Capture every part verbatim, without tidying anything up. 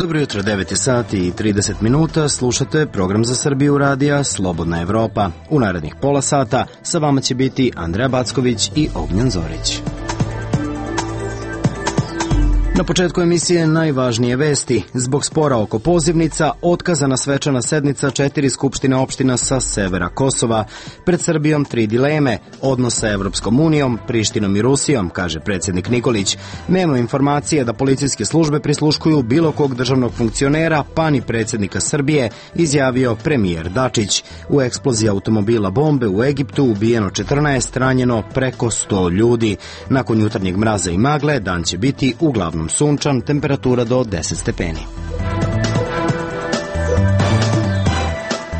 Dobro jutro, devet je sati i trideset minuta, slušate program za Srbiju radija Slobodna Evropa. U narednih pola sata sa vama će biti Andreja Backović i Ognjen Zorić. Na početku emisije najvažnije vesti. Zbog spora oko pozivnica, otkazana svečana sednica četiri skupštine opština sa severa Kosova. Pred Srbijom tri dileme, odnos sa Evropskom unijom, Prištinom i Rusijom, kaže predsjednik Nikolić. Nema informacije da policijske službe prisluškuju bilo kog državnog funkcionera, pa ni predsjednika Srbije, izjavio premijer Dačić. U eksploziji automobila bombe u Egiptu ubijeno četrnaest, ranjeno preko sto ljudi. Nakon jutarnjeg mraza i magle, dan će biti uglavnom sunčan, temperatura do deset stepeni.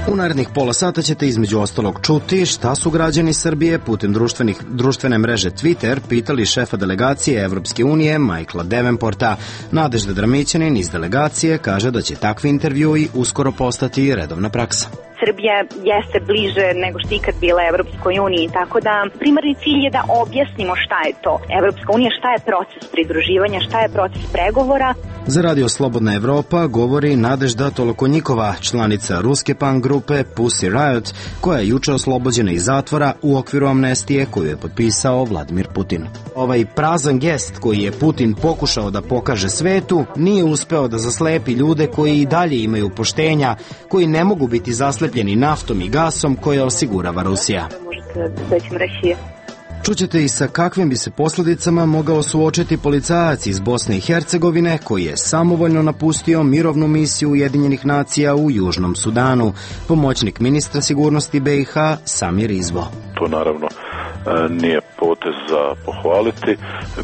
U narednih pola sata ćete između ostalog čuti šta su građani Srbije putem društvenih, društvene mreže Twitter pitali šefa delegacije Evropske unije Michaela Davenporta. Nadežda Dramićanin iz delegacije kaže da će takvi intervjui uskoro postati redovna praksa. Srbija jeste bliže nego što ikad bila Evropskoj uniji, tako da primarni cilj je da objasnimo šta je to Evropska unija, šta je proces pridruživanja, šta je proces pregovora. Za radio Slobodna Evropa govori Nadežda Tolokonjikova, članica ruske punk grupe Pussy Riot, koja je juče oslobođena iz zatvora u okviru amnestije koju je potpisao Vladimir Putin. Ovaj prazan gest koji je Putin pokušao da pokaže svetu nije uspeo da zaslepi ljude koji i dalje imaju poštenja, koji ne mogu biti zaslepljeni naftom i gasom koje osigurava Rusija. Čućete i sa kakvim bi se posljedicama mogao suočiti policajac iz Bosne i Hercegovine koji je samovoljno napustio mirovnu misiju Ujedinjenih nacija u Južnom Sudanu. Pomoćnik ministra sigurnosti B i H Samir Izvo. To naravno nije potez za pohvaliti,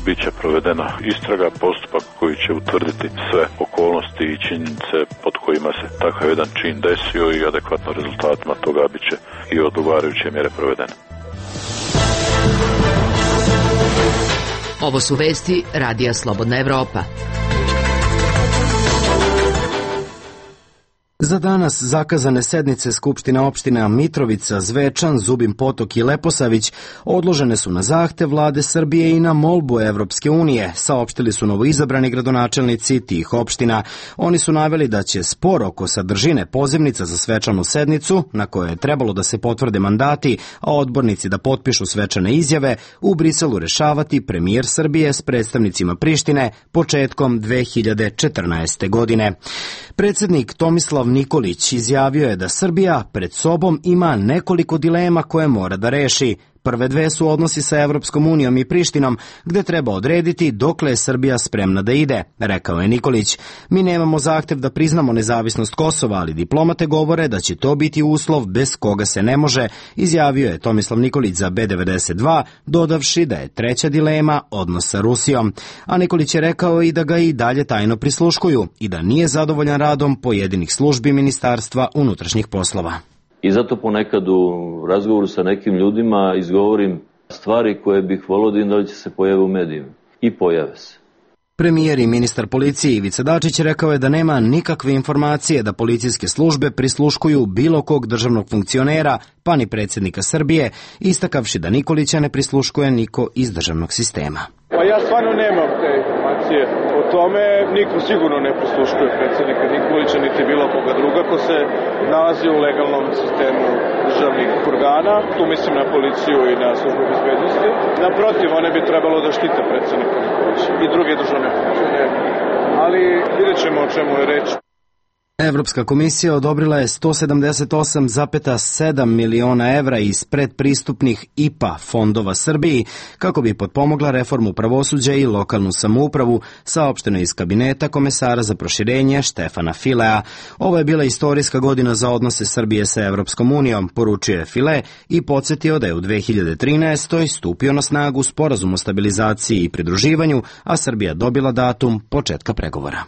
bit će provedena istraga, postupak koji će utvrditi sve okolnosti i činjenice pod kojima se takav jedan čin desio i adekvatno rezultatima toga bit će i odgovarajuće mjere provedene. Ovo su vesti Radija Slobodna Evropa. Za danas zakazane sednice Skupština opština Mitrovica, Zvečan, Zubin Potok i Leposavić odložene su na zahtev vlade Srbije i na molbu Evropske unije, saopštili su novoizabrani gradonačelnici tih opština. Oni su naveli da će spor oko sadržine pozivnica za svečanu sednicu, na kojoj je trebalo da se potvrde mandati, a odbornici da potpišu svečane izjave, u Briselu rešavati premijer Srbije s predstavnicima Prištine početkom dve hiljade četrnaeste. godine. Predsjednik Tomislav Nikolić izjavio je da Srbija pred sobom ima nekoliko dilema koje mora da reši. Prve dve su odnosi sa Evropskom unijom i Prištinom, gde treba odrediti dokle je Srbija spremna da ide, rekao je Nikolić. Mi nemamo zahtev da priznamo nezavisnost Kosova, ali diplomate govore da će to biti uslov bez koga se ne može, izjavio je Tomislav Nikolić za B devedeset dva, dodavši da je treća dilema odnos sa Rusijom. A Nikolić je rekao i da ga i dalje tajno prisluškuju i da nije zadovoljan radom pojedinih službi Ministarstva unutrašnjih poslova. I zato ponekad u razgovoru sa nekim ljudima izgovorim stvari koje bih volio da im da će se pojave u medijima. I pojave se. Premijer i ministar policije Ivica Dačić rekao je da nema nikakve informacije da policijske službe prisluškuju bilo kog državnog funkcionera, pa ni predsjednika Srbije, istakavši da Nikolića ne prisluškuje niko iz državnog sistema. Pa ja stvarno nemam te informacije o tome, niko sigurno ne prisluškuje predsjednika Nikolića niti bilo koga druga ko se nalazi u legalnom sistemu državnih organa, tu mislim na policiju i na službu bezbednosti. Naprotiv, one bi trebalo da štite predsjednika Nikolića i druge državne funkcionere, ali vidjet ćemo o čemu je reč. Evropska komisija odobrila je sto sedamdeset osam zarez sedam miliona evra iz predpristupnih I P A fondova Srbiji kako bi potpomogla reformu pravosuđa i lokalnu samoupravu, saopšteno iz kabineta komesara za proširenje Štefana Filea. Ovo je bila istorijska godina za odnose Srbije sa Evropskom unijom, poručio je File i podsjetio da je u dve hiljade trinaestoj. stupio na snagu sporazum o stabilizaciji i pridruživanju, a Srbija dobila datum početka pregovora.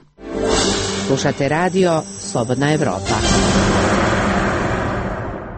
Slušate radio Slobodna Evropa.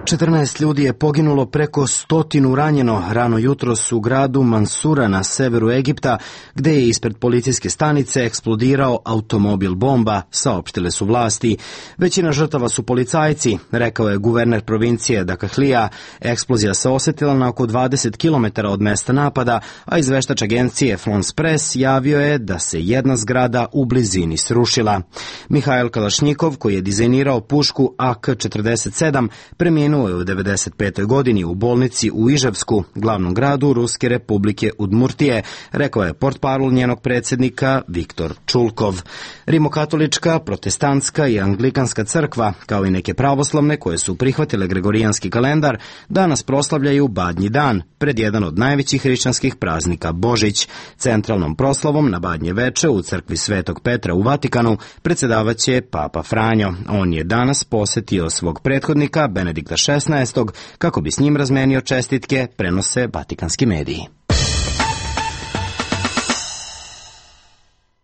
četrnaest ljudi je poginulo, preko stotinu ranjeno rano jutros u gradu Mansura na severu Egipta, gde je ispred policijske stanice eksplodirao automobil bomba, saopštile su vlasti. Većina žrtava su policajci, rekao je guverner provincije Dakahlija. Eksplozija se osetila na oko dvadeset kilometara od mesta napada, a izveštač agencije France Press javio je da se jedna zgrada u blizini srušila. Mihajl Kalašnjikov, koji je dizajnirao pušku A K četrdeset sedam, preminuo je u devedeset petoj godini u bolnici u Iževsku, glavnom gradu Ruske republike Udmurtije, rekao je portparol njenog predsjednika Viktor Čulkov. Rimokatolička, protestantska i anglikanska crkva, kao i neke pravoslavne koje su prihvatile gregorijanski kalendar, danas proslavljaju Badnji dan, pred jedan od najvećih hrišćanskih praznika Božić. Centralnom proslavom na Badnje veče u crkvi Svetog Petra u Vatikanu predsjedavaće Papa Franjo. On je danas posetio svog prethodnika Benedikta šesnaestog kako bi s njim razmenio čestitke, prenose vatikanski mediji.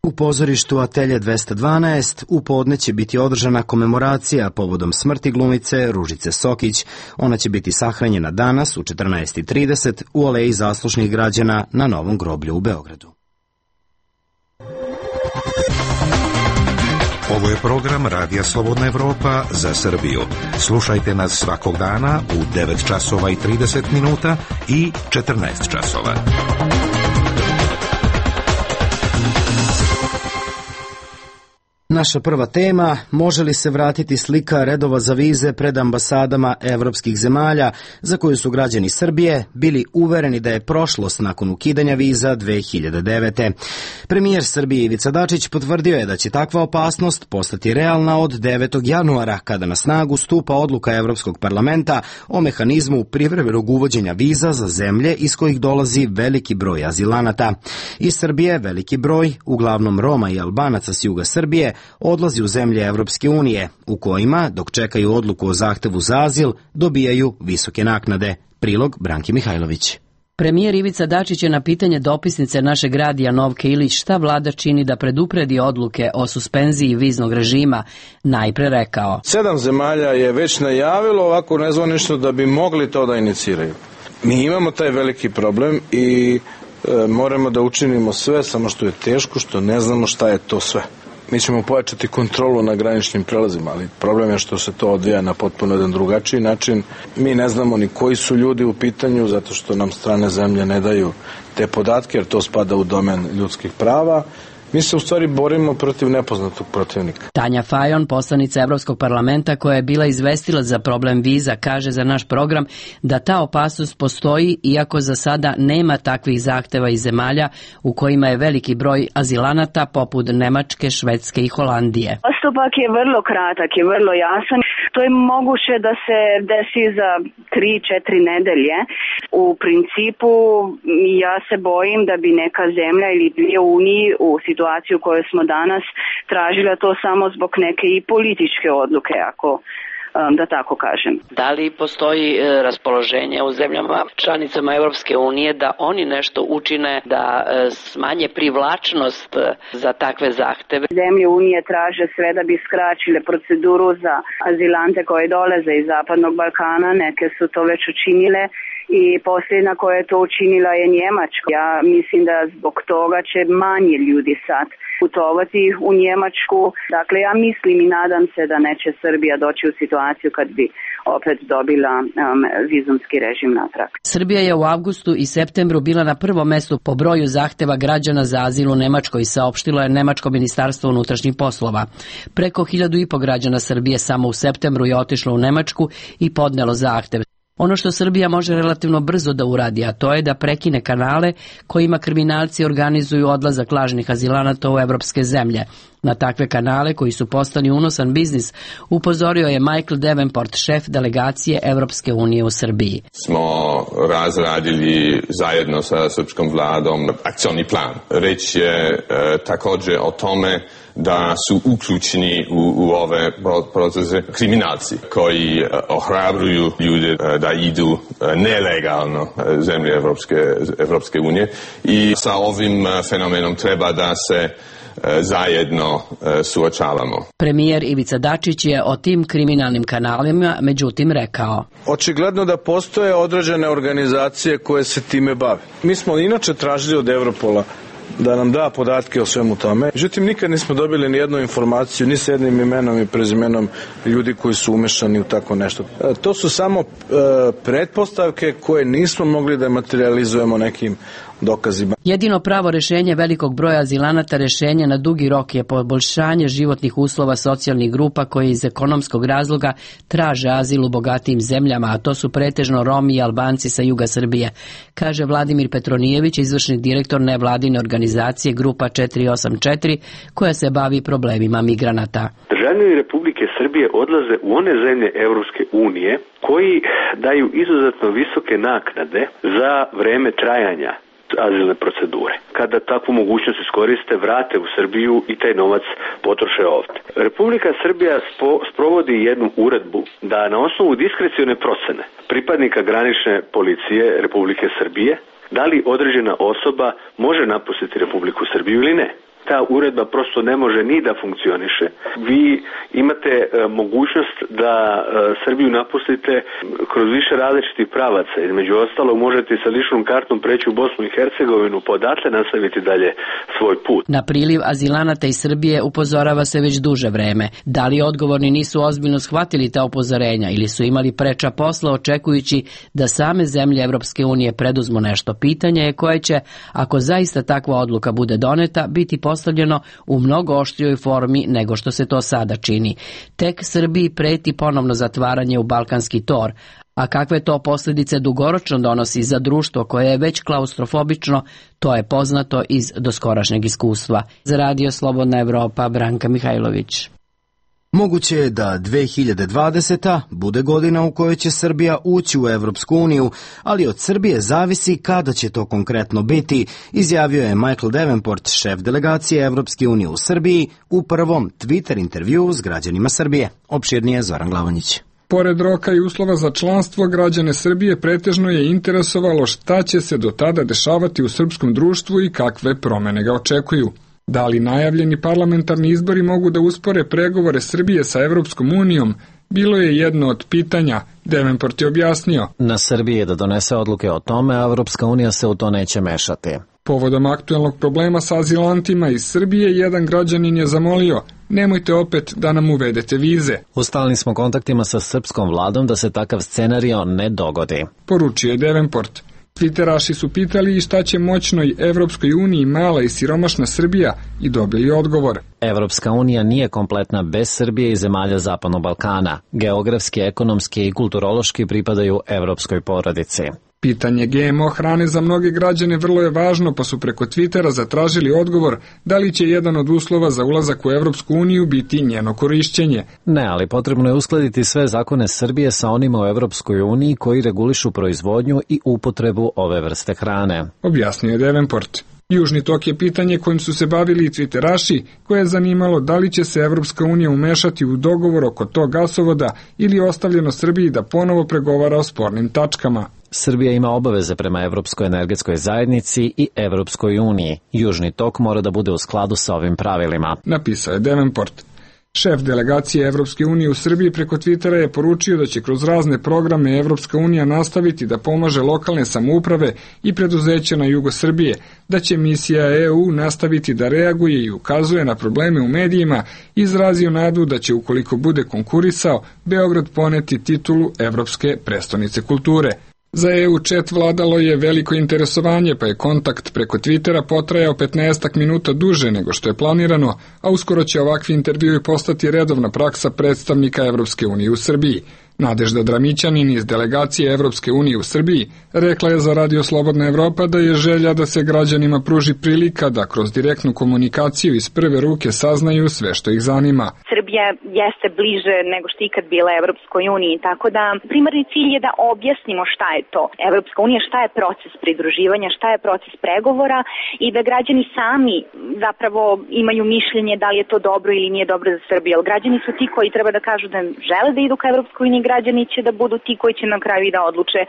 U pozorištu Atelje dvesta dvanaest u podne će biti održana komemoracija povodom smrti glumice Ružice Sokić. Ona će biti sahranjena danas u četrnaest i trideset u Aleji zaslušnih građana na Novom groblju u Beogradu. Ovo je program Radija Slobodna Evropa za Srbiju. Slušajte nas svakog dana u devet časova i trideset minuta i četrnaest časova. Naša prva tema, može li se vratiti slika redova za vize pred ambasadama evropskih zemalja, za koju su građani Srbije bili uvereni da je prošlost nakon ukidanja viza dve hiljade devete. Premijer Srbije Ivica Dačić potvrdio je da će takva opasnost postati realna od devetog januara, kada na snagu stupa odluka Evropskog parlamenta o mehanizmu privremenog uvođenja viza za zemlje iz kojih dolazi veliki broj azilanata. Iz Srbije veliki broj, uglavnom Roma i Albanaca s juga Srbije, odlazi u zemlje Evropske unije, u kojima, dok čekaju odluku o zahtevu za azil, dobijaju visoke naknade. Prilog Branki Mihajlović. Premijer Ivica Dačić je na pitanje dopisnice našeg radija Novke Ilić šta vlada čini da predupredi odluke o suspenziji viznog režima najpre rekao: Sedam zemalja je već najavilo ovako nezvanično da bi mogli to da iniciraju. Mi imamo taj veliki problem i e, moramo da učinimo sve, samo što je teško, što ne znamo šta je to sve. Mi ćemo pojačati kontrolu na graničnim prelazima, ali problem je što se to odvija na potpuno jedan drugačiji način. Mi ne znamo ni koji su ljudi u pitanju, zato što nam strane zemlje ne daju te podatke, jer to spada u domen ljudskih prava. Mi se u stvari borimo protiv nepoznatog protivnika. Tanja Fajon, poslanica Evropskog parlamenta koja je bila izvestila za problem viza, kaže za naš program da ta opasnost postoji, iako za sada nema takvih zahteva iz zemalja u kojima je veliki broj azilanata poput Nemačke, Švedske i Holandije. Postupak je vrlo kratak i vrlo jasan. To je moguće da se desi za tri, četiri nedelje. U principu ja se bojim da bi neka zemlja ili dvije uniji u situaciju u kojoj smo danas tražila to samo zbog neke i političke odluke, ako da tako kažem. Da li postoji raspoloženje u zemljama članicama Evropske unije da oni nešto učine da smanje privlačnost za takve zahteve? Zemlje unije traže sve da bi skraćile proceduru za azilante koji dolaze iz Zapadnog Balkana, neke su to već učinile i posljedna koja je to učinila je Njemačka. Ja mislim da zbog toga će manje ljudi sad putovati u Njemačku. Dakle, ja mislim i nadam se da neće Srbija doći u situaciju kad bi opet dobila um, vizumski režim natrag. Srbija je u avgustu i septembru bila na prvom mestu po broju zahteva građana za azil u Nemačkoj, saopštilo je Nemačko ministarstvo unutrašnjih poslova. Preko hiljadu i po građana Srbije samo u septembru je otišlo u Nemačku i podnelo zahtev. Ono što Srbija može relativno brzo da uradi, a to je da prekine kanale kojima kriminalci organizuju odlazak lažnih azilanata u evropske zemlje. Na takve kanale koji su postali unosan biznis upozorio je Michael Davenport, šef delegacije Evropske unije u Srbiji. Smo razradili zajedno sa srpskom vladom akcioni plan. Reč je e, također o tome da su uključeni u, u ove procese kriminalci koji ohrabruju ljude da idu nelegalno zemlje Evropske, Evropske unije i sa ovim fenomenom treba da se zajedno suočavamo. Premijer Ivica Dačić je o tim kriminalnim kanalima međutim rekao: Očigledno da postoje određene organizacije koje se time bave. Mi smo inače tražili od Evropola da nam da podatke o svemu tome. Međutim, nikad nismo dobili ni jednu informaciju, ni s jednim imenom i prezimenom ljudi koji su umešani u tako nešto. E, to su samo e, pretpostavke koje nismo mogli da materializujemo nekim dokazima. Jedino pravo rešenje velikog broja azilanata rešenje na dugi rok je poboljšanje životnih uslova socijalnih grupa koje iz ekonomskog razloga traže azil u bogatijim zemljama, a to su pretežno Romi i Albanci sa juga Srbije, kaže Vladimir Petronijević, izvršni direktor nevladine organizacije Grupa četiri osam četiri koja se bavi problemima migranata. Državljani Republike Srbije odlaze u one zemlje Evropske unije koji daju izuzetno visoke naknade za vreme trajanja azilne procedure. Kada takvu mogućnost iskoriste, vrate u Srbiju i taj novac potroše ovde. Republika Srbija spo, sprovodi jednu uredbu da na osnovu diskrecione procene pripadnika granične policije Republike Srbije da li određena osoba može napustiti Republiku Srbiju ili ne. Ta uredba prosto ne može ni da funkcioniše. Vi imate e, mogućnost da e, Srbiju napustite kroz više različitih pravaca. Između ostalog možete sa ličnom kartom preći u Bosnu i Hercegovinu, pa odatle nastaviti dalje svoj put. Na priliv azilanata iz Srbije upozorava se već duže vreme. Da li odgovorni nisu ozbiljno shvatili ta upozorenja ili su imali preča posla očekujući da same zemlje Evropske unije preduzmu nešto? Pitanje je koje će, ako zaista takva odluka bude doneta, biti postavljeno u mnogo oštrijoj formi nego što se to sada čini. Tek Srbiji preti ponovno zatvaranje u balkanski tor, a kakve to posljedice dugoročno donosi za društvo koje je već klaustrofobično, to je poznato iz doskorašnjeg iskustva. Za Radio Slobodna Evropa, Branka Mihajlović. Moguće je da dve hiljade dvadeseta bude godina u kojoj će Srbija ući u Evropsku uniju, ali od Srbije zavisi kada će to konkretno biti, izjavio je Michael Davenport, šef delegacije Evropske unije u Srbiji, u prvom Twitter intervjuu s građanima Srbije. Opširnije Zoran Glavonjić. Pored roka i uslova za članstvo, građane Srbije pretežno je interesovalo šta će se do tada dešavati u srpskom društvu i kakve promene ga očekuju. Da li najavljeni parlamentarni izbori mogu da uspore pregovore Srbije sa Evropskom unijom, bilo je jedno od pitanja. Davenport je objasnio: Na Srbiji je da donese odluke o tome, a Evropska unija se u to neće mešati. Povodom aktuelnog problema sa azilantima iz Srbije, jedan građanin je zamolio: nemojte opet da nam uvedete vize. U stalnim smo kontaktima sa srpskom vladom da se takav scenario ne dogodi, poručio je Davenport. Twitteraši su pitali i šta će moćnoj Evropskoj uniji mala i siromašna Srbija i dobili odgovor. Evropska unija nije kompletna bez Srbije i zemalja Zapadnog Balkana. Geografski, ekonomski i kulturološki pripadaju evropskoj porodici. Pitanje G M O hrane za mnoge građane vrlo je važno, pa su preko Twittera zatražili odgovor da li će jedan od uslova za ulazak u Evropsku uniju biti njeno korišćenje. Ne, ali potrebno je uskladiti sve zakone Srbije sa onima u Evropskoj uniji koji regulišu proizvodnju i upotrebu ove vrste hrane, objasnio je Davenport. Južni tok je pitanje kojim su se bavili i Twitteraši, koje je zanimalo da li će se Evropska unija umešati u dogovor oko tog gasovoda ili je ostavljeno Srbiji da ponovo pregovara o spornim tačkama. Srbija ima obaveze prema Evropskoj energetskoj zajednici i Evropskoj uniji. Južni tok mora da bude u skladu sa ovim pravilima, napisao je Davenport. Šef delegacije Evropske unije u Srbiji preko Twittera je poručio da će kroz razne programe Evropska unija nastaviti da pomaže lokalne samouprave i preduzeća na jugu Srbije, da će misija E U nastaviti da reaguje i ukazuje na probleme u medijima, izrazio nadu da će, ukoliko bude konkurisao, Beograd poneti titulu Evropske prestonice kulture. Za E U chat vladalo je veliko interesovanje, pa je kontakt preko Twittera potrajao petnaestak minuta duže nego što je planirano, a uskoro će ovakvi intervjui postati redovna praksa predstavnika Evropske unije u Srbiji. Nadežda Dramićanin iz delegacije Evropske unije u Srbiji rekla je za Radio Slobodna Evropa da je želja da se građanima pruži prilika da kroz direktnu komunikaciju iz prve ruke saznaju sve što ih zanima. Srbija jeste bliže nego što ikad bila Evropskoj uniji, tako da primarni cilj je da objasnimo šta je to Evropska unija, šta je proces pridruživanja, šta je proces pregovora i da građani sami zapravo imaju mišljenje da li je to dobro ili nije dobro za Srbiju. Građani su ti koji treba da kažu da žele da idu ka Evropskoj uniji, građani će da budu ti koji će na kraju da odluče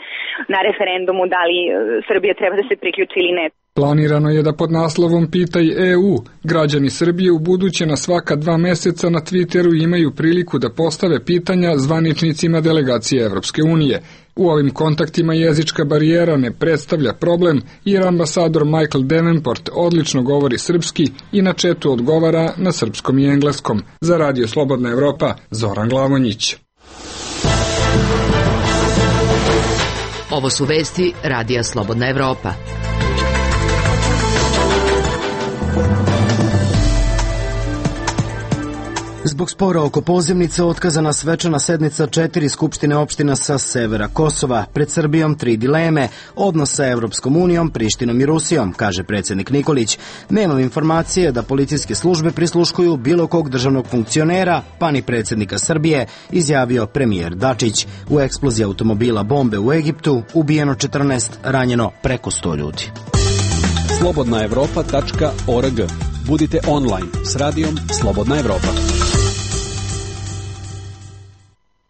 na referendumu da li Srbija treba da se priključi ili ne. Planirano je da pod naslovom Pitaj E U građani Srbije u buduće na svaka dva meseca na Twitteru imaju priliku da postave pitanja zvaničnicima delegacije Evropske unije. U ovim kontaktima jezička barijera ne predstavlja problem jer ambasador Michael Davenport odlično govori srpski i na četu odgovara na srpskom i engleskom. Za Radio Slobodna Evropa, Zoran Glavonjić. Ovo su vesti Radija Slobodna Evropa. Zbog spora oko pozivnice otkazana svečana sednica četiri skupštine opština sa severa Kosova. Pred Srbijom tri dileme, odnos sa Evropskom unijom, Prištinom i Rusijom, kaže predsjednik Nikolić. Nemam informacije da policijske službe prisluškuju bilo kog državnog funkcionera, pa ni predsjednika Srbije, izjavio premijer Dačić. U eksploziji automobila bombe u Egiptu ubijeno četrnaest, ranjeno preko sto ljudi. slobodna evropa tačka org. Budite online s radijom Slobodna Evropa.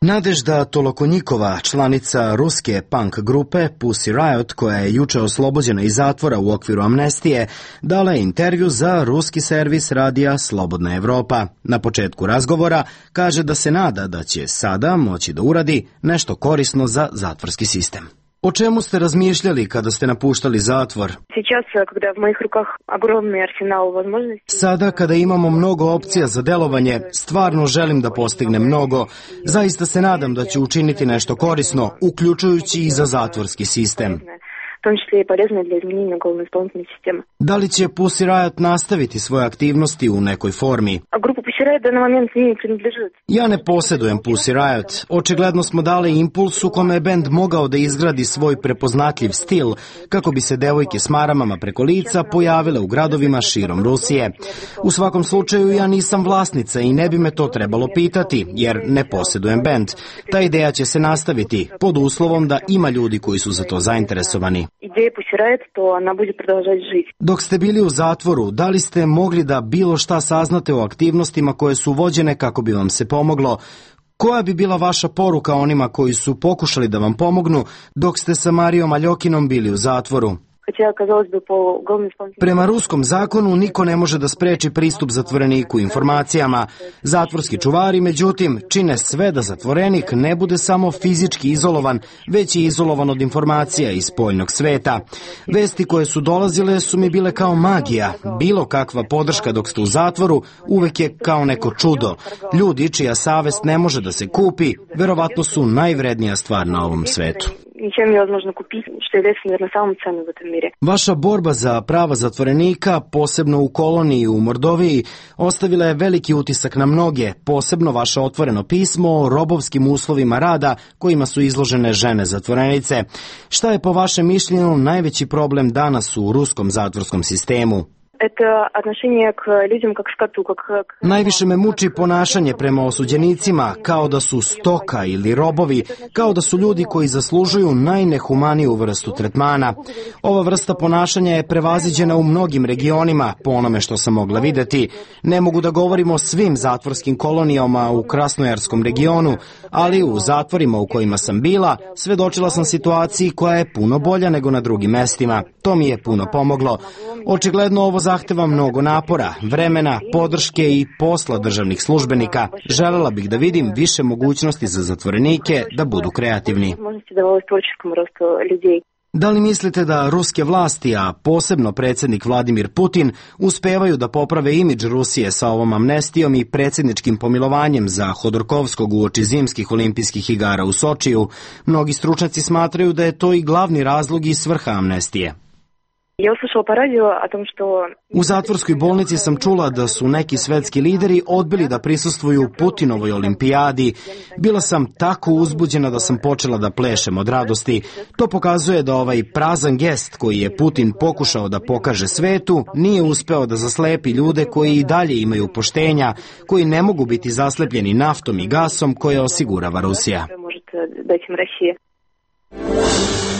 Nadežda Tolokonjikova, članica ruske punk grupe Pussy Riot, koja je juče oslobođena iz zatvora u okviru amnestije, dala je intervju za ruski servis radija Slobodna Evropa. Na početku razgovora kaže da se nada da će sada moći da uradi nešto korisno za zatvorski sistem. O čemu ste razmišljali kada ste napuštali zatvor? Sada kada imamo mnogo opcija za delovanje, stvarno želim da postignem mnogo. Zaista se nadam da ću učiniti nešto korisno, uključujući i za zatvorski sistem. Da li će Pussy Riot nastaviti svoje aktivnosti u nekoj formi? Ja ne posjedujem Pussy Riot. Očigledno smo dali impuls u kome je bend mogao da izgradi svoj prepoznatljiv stil kako bi se devojke s maramama preko lica pojavile u gradovima širom Rusije. U svakom slučaju ja nisam vlasnica i ne bi me to trebalo pitati jer ne posjedujem bend. Ta ideja će se nastaviti pod uslovom da ima ljudi koji su za to zainteresovani. Dok ste bili u zatvoru, da li ste mogli da bilo šta saznate o aktivnostima koje su vođene kako bi vam se pomoglo? Koja bi bila vaša poruka onima koji su pokušali da vam pomognu dok ste sa Marijom Aljokinom bili u zatvoru? Prema ruskom zakonu niko ne može da spreči pristup zatvoreniku informacijama. Zatvorski čuvari, međutim, čine sve da zatvorenik ne bude samo fizički izolovan, već i izolovan od informacija iz spoljnog sveta. Vesti koje su dolazile su mi bile kao magija. Bilo kakva podrška dok ste u zatvoru uvek je kao neko čudo. Ljudi čija savest ne može da se kupi, verovatno su najvrednija stvar na ovom svetu. Ничем невозможно купить, что является, наверное, самым ценным в этом мире. Vaša borba za prava zatvorenika, posebno u koloniji u Mordoviji, ostavila je veliki utisak na mnoge, posebno vaše otvoreno pismo o robovskim uslovima rada kojima su izložene žene zatvorenice. Šta je po vašem mišljenju najveći problem danas u ruskom zatvorskom sistemu? Najviše me muči ponašanje prema osuđenicima, kao da su stoka ili robovi, kao da su ljudi koji zaslužuju najnehumaniju vrstu tretmana. Ova vrsta ponašanja je prevaziđena u mnogim regionima, po onome što sam mogla videti. Ne mogu da govorim o svim zatvorskim kolonijama u Krasnojarskom regionu, ali u zatvorima u kojima sam bila, svedočila sam situaciji koja je puno bolja nego na drugim mestima. To mi je puno pomoglo. Očigledno ovo zahteva mnogo napora, vremena, podrške i posla državnih službenika. Želela bih da vidim više mogućnosti za zatvorenike da budu kreativni. Da li mislite da ruske vlasti, a posebno predsjednik Vladimir Putin, uspevaju da poprave imidž Rusije sa ovom amnestijom i predsjedničkim pomilovanjem za Hodorkovskog uoči zimskih olimpijskih igara u Sočiju? Mnogi stručnjaci smatraju da je to i glavni razlog i svrha amnestije. U zatvorskoj bolnici sam čula da su neki svetski lideri odbili da prisustvuju Putinovoj olimpijadi. Bila sam tako uzbuđena da sam počela da plešem od radosti. To pokazuje da ovaj prazan gest koji je Putin pokušao da pokaže svetu nije uspeo da zaslepi ljude koji i dalje imaju poštenja, koji ne mogu biti zaslepljeni naftom i gasom koje osigurava Rusija.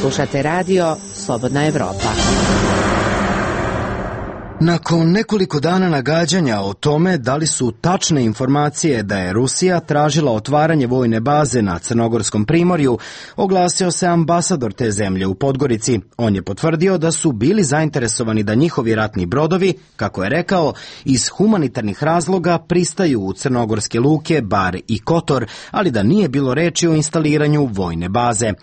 Slušate radio Slobodna Evropa. Nakon nekoliko dana nagađanja o tome da li su tačne informacije da je Rusija tražila otvaranje vojne baze na Crnogorskom primorju, oglasio se ambasador te zemlje u Podgorici. On je potvrdio da su bili zainteresovani da njihovi ratni brodovi, kako je rekao, iz humanitarnih razloga pristaju u crnogorske luke Bar i Kotor, ali da nije bilo reči o instaliranju vojne baze.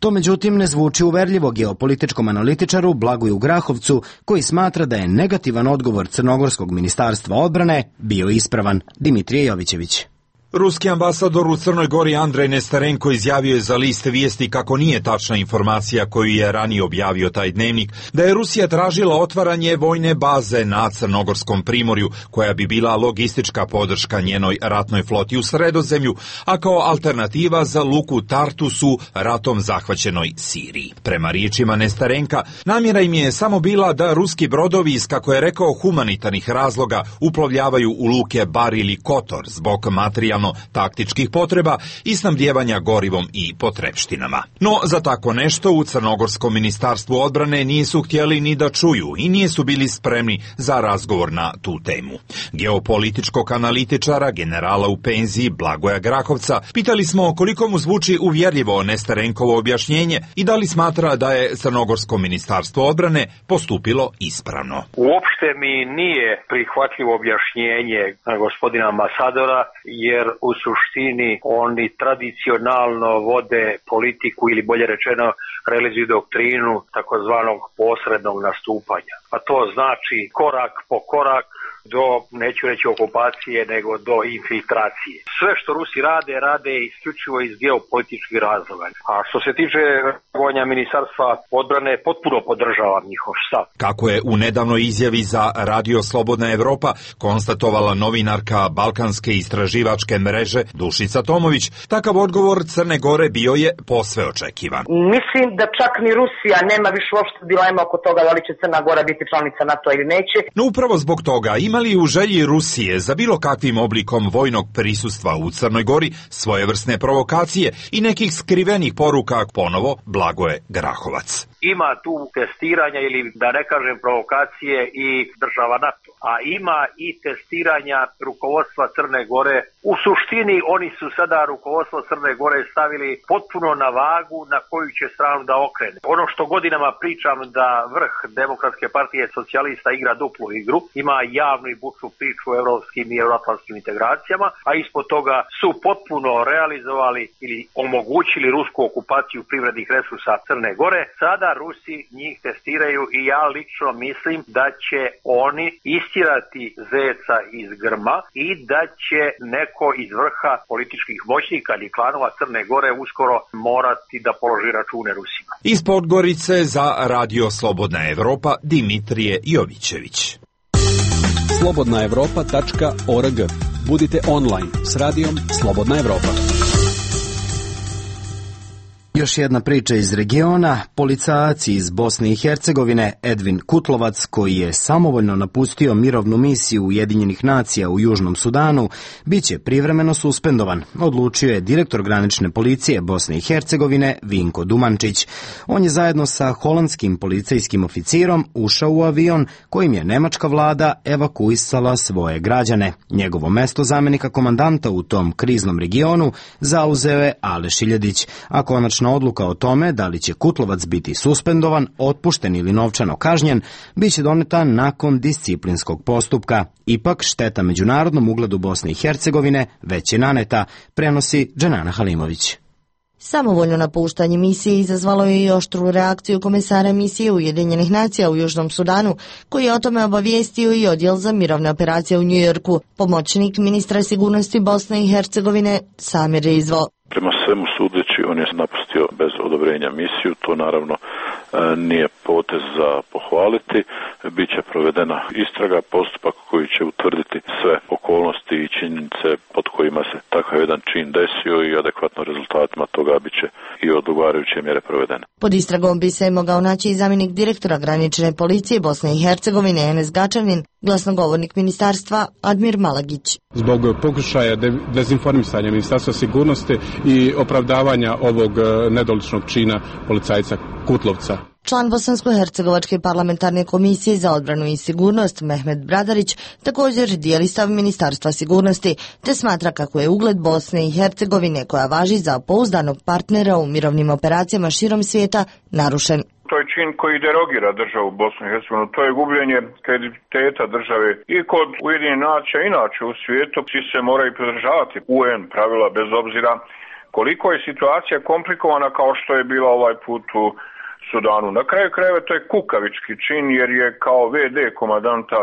To međutim ne zvuči uverljivo geopolitičkom analitičaru Blagoju Grahovcu, koji smatra da je negativan odgovor Crnogorskog ministarstva odbrane bio ispravan. Dimitrije Jovićević. Ruski ambasador u Crnoj Gori Andrej Nestarenko izjavio je za list Vijesti kako nije tačna informacija koju je ranije objavio taj dnevnik, da je Rusija tražila otvaranje vojne baze na Crnogorskom primorju, koja bi bila logistička podrška njenoj ratnoj floti u Sredozemlju, a kao alternativa za luku Tartus u ratom zahvaćenoj Siriji. Prema riječima Nestarenka, namjera im je samo bila da ruski brodovi iz, kako je rekao, humanitarnih razloga uplovljavaju u luke Bar ili Kotor zbog materijalno taktičkih potreba i snabdijevanja gorivom i potrepštinama. No, za tako nešto u Crnogorskom ministarstvu odbrane nisu htjeli ni da čuju i nisu bili spremni za razgovor na tu temu. Geopolitičkog analitičara, generala u penziji Blagoja Grahovca, pitali smo koliko mu zvuči uvjerljivo Nestarenkovo objašnjenje i da li smatra da je Crnogorsko ministarstvo odbrane postupilo ispravno. Uopšte mi nije prihvatljivo objašnjenje gospodina ambasadora, jer u suštini oni tradicionalno vode politiku ili bolje rečeno realizuju doktrinu takozvanog posrednog nastupanja. A to znači korak po korak do, neću reći okupacije, nego do infiltracije. Sve što Rusi rade, rade isključivo iz geopolitičkih razloga. A što se tiče reagovanja ministarstva odbrane, potpuno podržavam njihov stav. Kako je u nedavnoj izjavi za Radio Slobodna Evropa konstatovala novinarka Balkanske istraživačke mreže Dušica Tomović, takav odgovor Crne Gore bio je posve očekivan. Mislim da čak ni Rusija nema više uopšte dilema oko toga da li će Crna Gora biti članica NATO ili neće. No upravo zbog toga ima li u želji Rusije za bilo kakvim oblikom vojnog prisustva u Crnoj Gori svojevrsne provokacije i nekih skrivenih poruka, ponovo Blagoje Grahovac. Ima tu testiranja ili da ne kažem provokacije i država NATO, a ima i testiranja rukovodstva Crne Gore. U suštini oni su sada rukovodstvo Crne Gore stavili potpuno na vagu na koju će stranu da okrene. Ono što godinama pričam da vrh Demokratske partije socijalista igra duplu igru, ima javnu i bučnu priču o evropskim i euroatlantskim integracijama, a ispod toga su potpuno realizovali ili omogućili rusku okupaciju privrednih resursa Crne Gore. Sada Rusi njih testiraju i ja lično mislim da će oni istirati zeca iz grma i da će neko iz vrha političkih moćnika ili klanova Crne Gore uskoro morati da položi račune Rusima. Iz Podgorice za Radio Slobodna Evropa Dimitrije Jovićević. slobodna evropa tačka org. Budite online s radijom Slobodna Evropa. Još jedna priča iz regiona. Policajac iz Bosne i Hercegovine Edvin Kutlovac, koji je samovoljno napustio mirovnu misiju Ujedinjenih nacija u Južnom Sudanu, biće privremeno suspendovan, odlučio je direktor granične policije Bosne i Hercegovine Vinko Dumančić. On je zajedno sa holandskim policijskim oficirom ušao u avion kojim je nemačka vlada evakuisala svoje građane. Njegovo mesto zamenika komandanta u tom kriznom regionu zauzeo je Aleš Iljedić, a konačno odluka o tome da li će Kutlovac biti suspendovan, otpušten ili novčano kažnjen biće doneta nakon disciplinskog postupka. Ipak šteta međunarodnom ugledu Bosne i Hercegovine već je naneta, prenosi Dženana Halimović. Samovoljno napuštanje misije izazvalo je i oštru reakciju komesara misije Ujedinjenih nacija u Južnom Sudanu, koji je o tome obavijestio i odjel za mirovne operacije u Njujorku. Pomoćnik ministra sigurnosti Bosne i Hercegovine Samir Rizvo. Prema svemu sudeći, on je napustio bez odobrenja misiju, to naravno nije potez za pohvaliti. Biće provedena istraga, postupak koji će utvrditi sve okolnosti i činjenice pod kojima se takav jedan čin desio i adekvatno rezultatima toga biće i odgovarajuće mjere provedene. Pod istragom bi se mogao naći i zamjenik direktora granične policije Bosne i Hercegovine Enes Gačanin, glasnogovornik ministarstva Admir Malagić. Zbog pokušaja dezinformisanja ministarstva sigurnosti i opravdavanja ovog nedoličnog čina policajca Kutlovca. Član Bosansko-hercegovačke parlamentarne komisije za odbranu i sigurnost Mehmet Bradarić također dijeli stav Ministarstva sigurnosti, te smatra kako je ugled Bosne i Hercegovine, koja važi za pouzdanog partnera u mirovnim operacijama širom svijeta, narušen. To je čin koji derogira državu Bosnu i Hercegovinu, to je gubljenje kredibiliteta države i kod Ujedinjenih nacija, inače u svijetu svi se moraju pridržavati U N pravila bez obzira koliko je situacija komplikovana kao što je bila ovaj put u Sudanu. Na kraju krajeva to je kukavički čin jer je kao ve de komandanta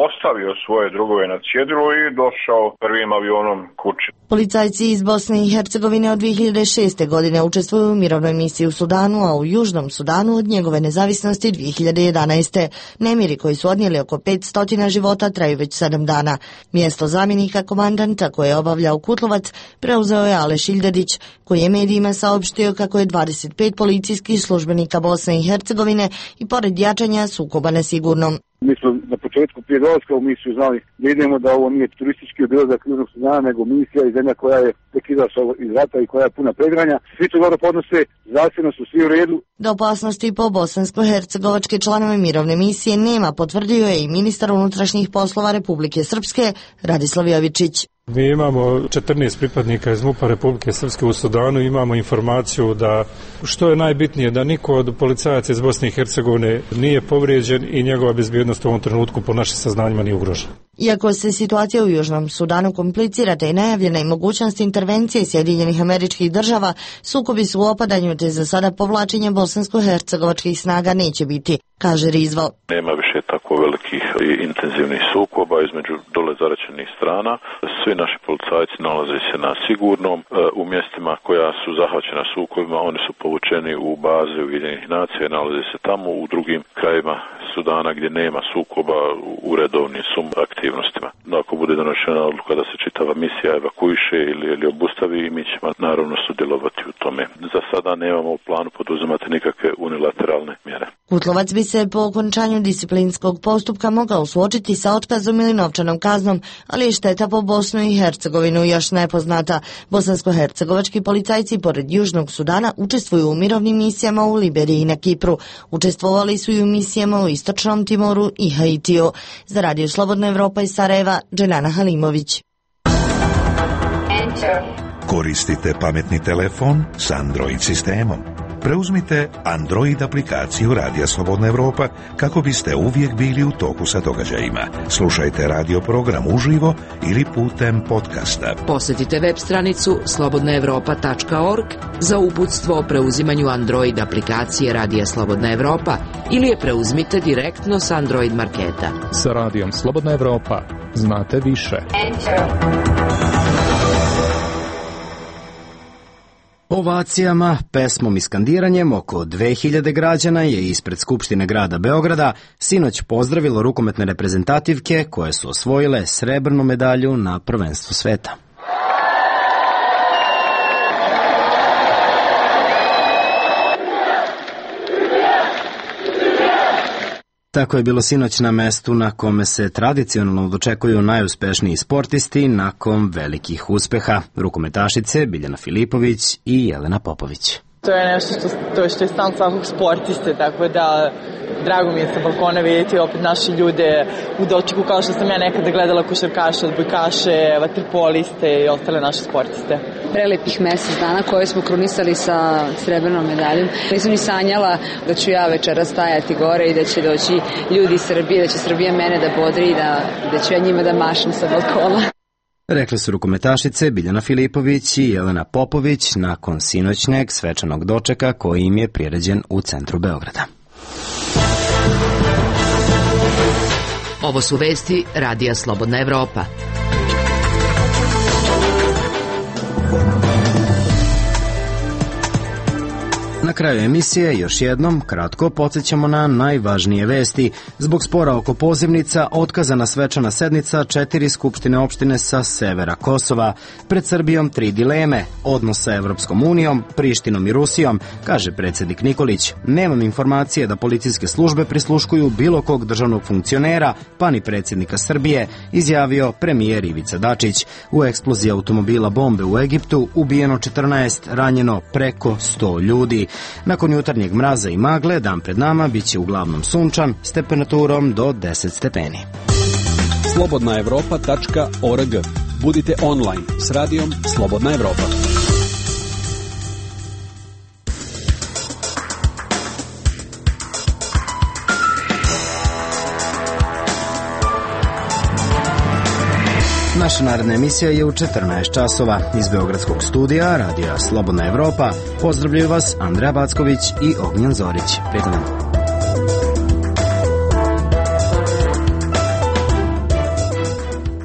ostavio svoje drugove na cjedilu i došao prvim avionom kući. Policajci iz Bosne i Hercegovine od dvije hiljade šeste. godine učestvuju u mirovnoj misiji u Sudanu, a u Južnom Sudanu od njegove nezavisnosti dvije hiljade jedanaeste. Nemiri koji su odnijeli oko petsto života traju već sedam dana. Mjesto zamjenika komandanta koje je obavljao Kutlovac preuzeo je Aleš Iljedić, koji je medijima saopštio kako je dvadeset pet policijskih službenika Bosne i Hercegovine i pored jačanja sukoba nesigurnom. Mi smo na početku prije dolaska u misiju znali da idemo, da ovo nije turistički obilazak Južnog Sudana, nego misija i zemlja koja je tek izašla iz rata i koja je puna predgranja. Svi to dobro podnose, zdravstveno su svi u redu. Da opasnosti po bosansko-hercegovačke članove mirovne misije nema, potvrdio je i ministar unutrašnjih poslova Republike Srpske Radislav Jovičić. Mi imamo četrnaest pripadnika iz MUP-a Republike Srpske u Sudanu, imamo informaciju da, što je najbitnije, da niko od policajaca iz Bosne i Hercegovine nije povrijeđen i njegova bezbjednost u ovom trenutku po našim saznanjima nije ugrožena. Iako se situacija u Južnom Sudanu komplicira te i najavljena i mogućnost intervencije Sjedinjenih Američkih Država, sukobi su u opadanju te za sada povlačenje bosansko-hercegovačkih snaga neće biti, kaže Rizvo. Nema više tako velikih i intenzivnih sukoba između dole zaraćenih strana. Svi naši policajci nalaze se na sigurnom u mjestima koja su zahvaćena sukobima, oni su povučeni u baze Ujedinjenih nacija i nalaze se tamo. U drugim krajevima Sudana gdje nema sukoba u redovnim su aktivnostima. No, ako bude donošena odluka da se čitava misija evakuiše ili, ili obustavi, mi ćemo naravno sudjelovati u tome. Za sada nemamo u planu poduzimati nikakve unilateralne mjere. Kutlovac bi se po okončanju disciplinskog postupka mogao suočiti sa otkazom ili novčanom kaznom, ali je šteta po Bosnu i Hercegovinu još nepoznata. Bosansko-hercegovački policajci pored Južnog Sudana učestvuju u mirovnim misijama u Liberiji i na Kipru. Učestvovali su i u misijama u Istočnom Timoru i Haitiju. Za Radio Slobodna Evropa iz Sarajeva, Dželana Halimović. Koristite pametni telefon s Android sistemom. Preuzmite Android aplikaciju Radija Slobodna Evropa kako biste uvijek bili u toku sa događajima. Slušajte radio program uživo ili putem podcasta. Posjetite web stranicu slobodna evropa tačka org za uputstvo o preuzimanju Android aplikacije Radija Slobodna Evropa ili je preuzmite direktno s Android marketa. Sa Radijom Slobodna Evropa znate više. Ovacijama, pesmom i skandiranjem oko dve hiljade građana je ispred Skupštine grada Beograda sinoć pozdravilo rukometne reprezentativke koje su osvojile srebrnu medalju na prvenstvu sveta. Tako je bilo sinoć na mestu na kome se tradicionalno dočekuju najuspešniji sportisti nakon velikih uspeha, rukometašice Biljana Filipović i Jelena Popović. To je nešto što, to što je stan svakog sportiste, tako da drago mi je sa balkona vidjeti opet naše ljude u dočeku kao što sam ja nekada gledala košarkaše, odbojkaše, vaterpoliste i ostale naše sportiste. Prelepih mjesec dana koje smo krunisali sa srebrnom medaljom. Nisam ni sanjala da ću ja večera stajati gore i da će doći ljudi iz Srbije, da će Srbija mene da bodri i da, da ću ja njima da mašem sa balkona. Rekle su rukometašice Biljana Filipović i Jelena Popović nakon sinoćnjeg svečanog dočeka koji im je priređen u centru Beograda. Ovo su vesti Radija Slobodna Evropa. Na kraju emisije još jednom kratko podsjećamo na najvažnije vesti. Zbog spora oko pozivnica otkazana svečana sednica četiri skupštine opštine sa severa Kosova. Pred Srbijom tri dileme, odnos sa Evropskom unijom, Prištinom i Rusijom, kaže predsjednik Nikolić. Nemam informacije da policijske službe prisluškuju bilo kog državnog funkcionera, pa ni predsjednika Srbije, izjavio premijer Ivica Dačić. U eksploziji automobila bombe u Egiptu ubijeno četrnaest, ranjeno preko sto ljudi. Nakon jutarnjeg mraza i magle, dan pred nama biće uglavnom sunčan s temperaturom do deset stepeni. slobodna evropa tačka org. Budite online s radijom Slobodna Evropa. Naša naredna emisija je u četrnaest časova. Iz Beogradskog studija Radija Slobodna Evropa pozdravljaju vas Andreja Backović i Ognjen Zorić. Prijetno.